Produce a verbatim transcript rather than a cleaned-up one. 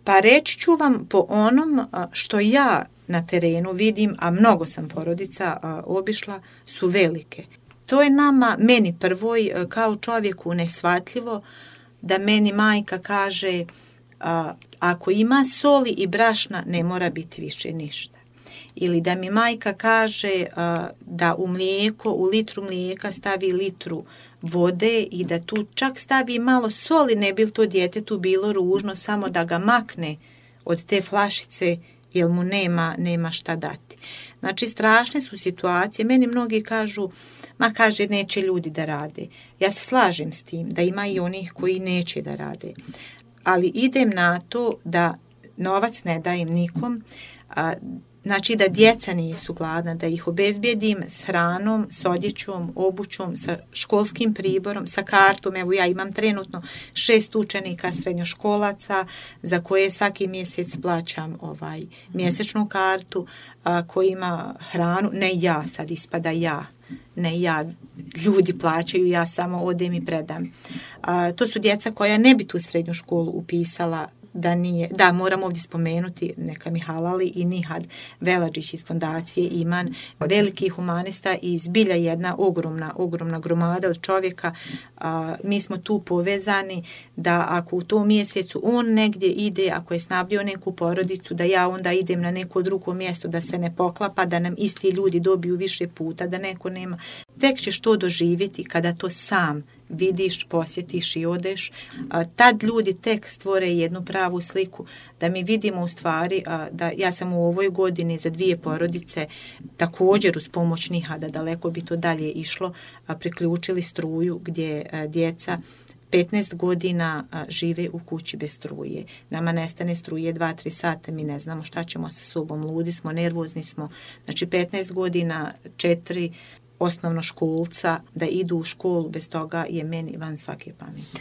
Pa reći ću vam po onom što ja na terenu vidim, a mnogo sam porodica obišla, su velike. To je nama, meni prvoj, kao čovjeku neshvatljivo da meni majka kaže a, ako ima soli i brašna ne mora biti više ništa. Ili da mi majka kaže a, da u mlijeko, u litru mlijeka stavi litru vode i da tu čak stavi malo soli, ne bi to djetetu bilo ružno, samo da ga makne od te flašice jer mu nema, nema šta dati. Znači, strašne su situacije. Meni mnogi kažu, ma kaže, neće ljudi da rade. Ja se slažem s tim, da ima i onih koji neće da rade. Ali idem na to da novac ne dajem nikom, a, znači da djeca nisu gladna, da ih obezbijedim s hranom, s odjećom, obućom, sa školskim priborom, sa kartom. Evo ja imam trenutno šest učenika srednjoškolaca za koje svaki mjesec plaćam ovaj mjesečnu kartu, a, koji ima hranu, ne ja, sad ispada ja, ne ja, ljudi plaćaju, ja samo odem i predam. A, to su djeca koja ne bi tu srednju školu upisala da nije, da moram ovdje spomenuti, neka mi halali i Nihad Veladžić iz fondacije Iman, veliki humanista i zbilja jedna ogromna, ogromna gromada od čovjeka. A, mi smo tu povezani da ako u tom mjesecu on negdje ide, ako je snabdio neku porodicu, da ja onda idem na neko drugo mjesto, da se ne poklapa, da nam isti ljudi dobiju više puta, da neko nema. Tek ćeš to doživjeti kada to sam vidiš, posjetiš i odeš. A, tad ljudi tek stvore jednu pravu sliku da mi vidimo u stvari a, da ja sam u ovoj godini za dvije porodice također uz pomoć Nihada, daleko bi to dalje išlo, a, priključili struju gdje a, djeca petnaest godina a, žive u kući bez struje. Nama nestane struje dva tri sata, mi ne znamo šta ćemo sa sobom, ludi smo, nervozni smo. Znači petnaest godina, četiri osnovnoškolca da idu u školu, bez toga je meni van svake pameti.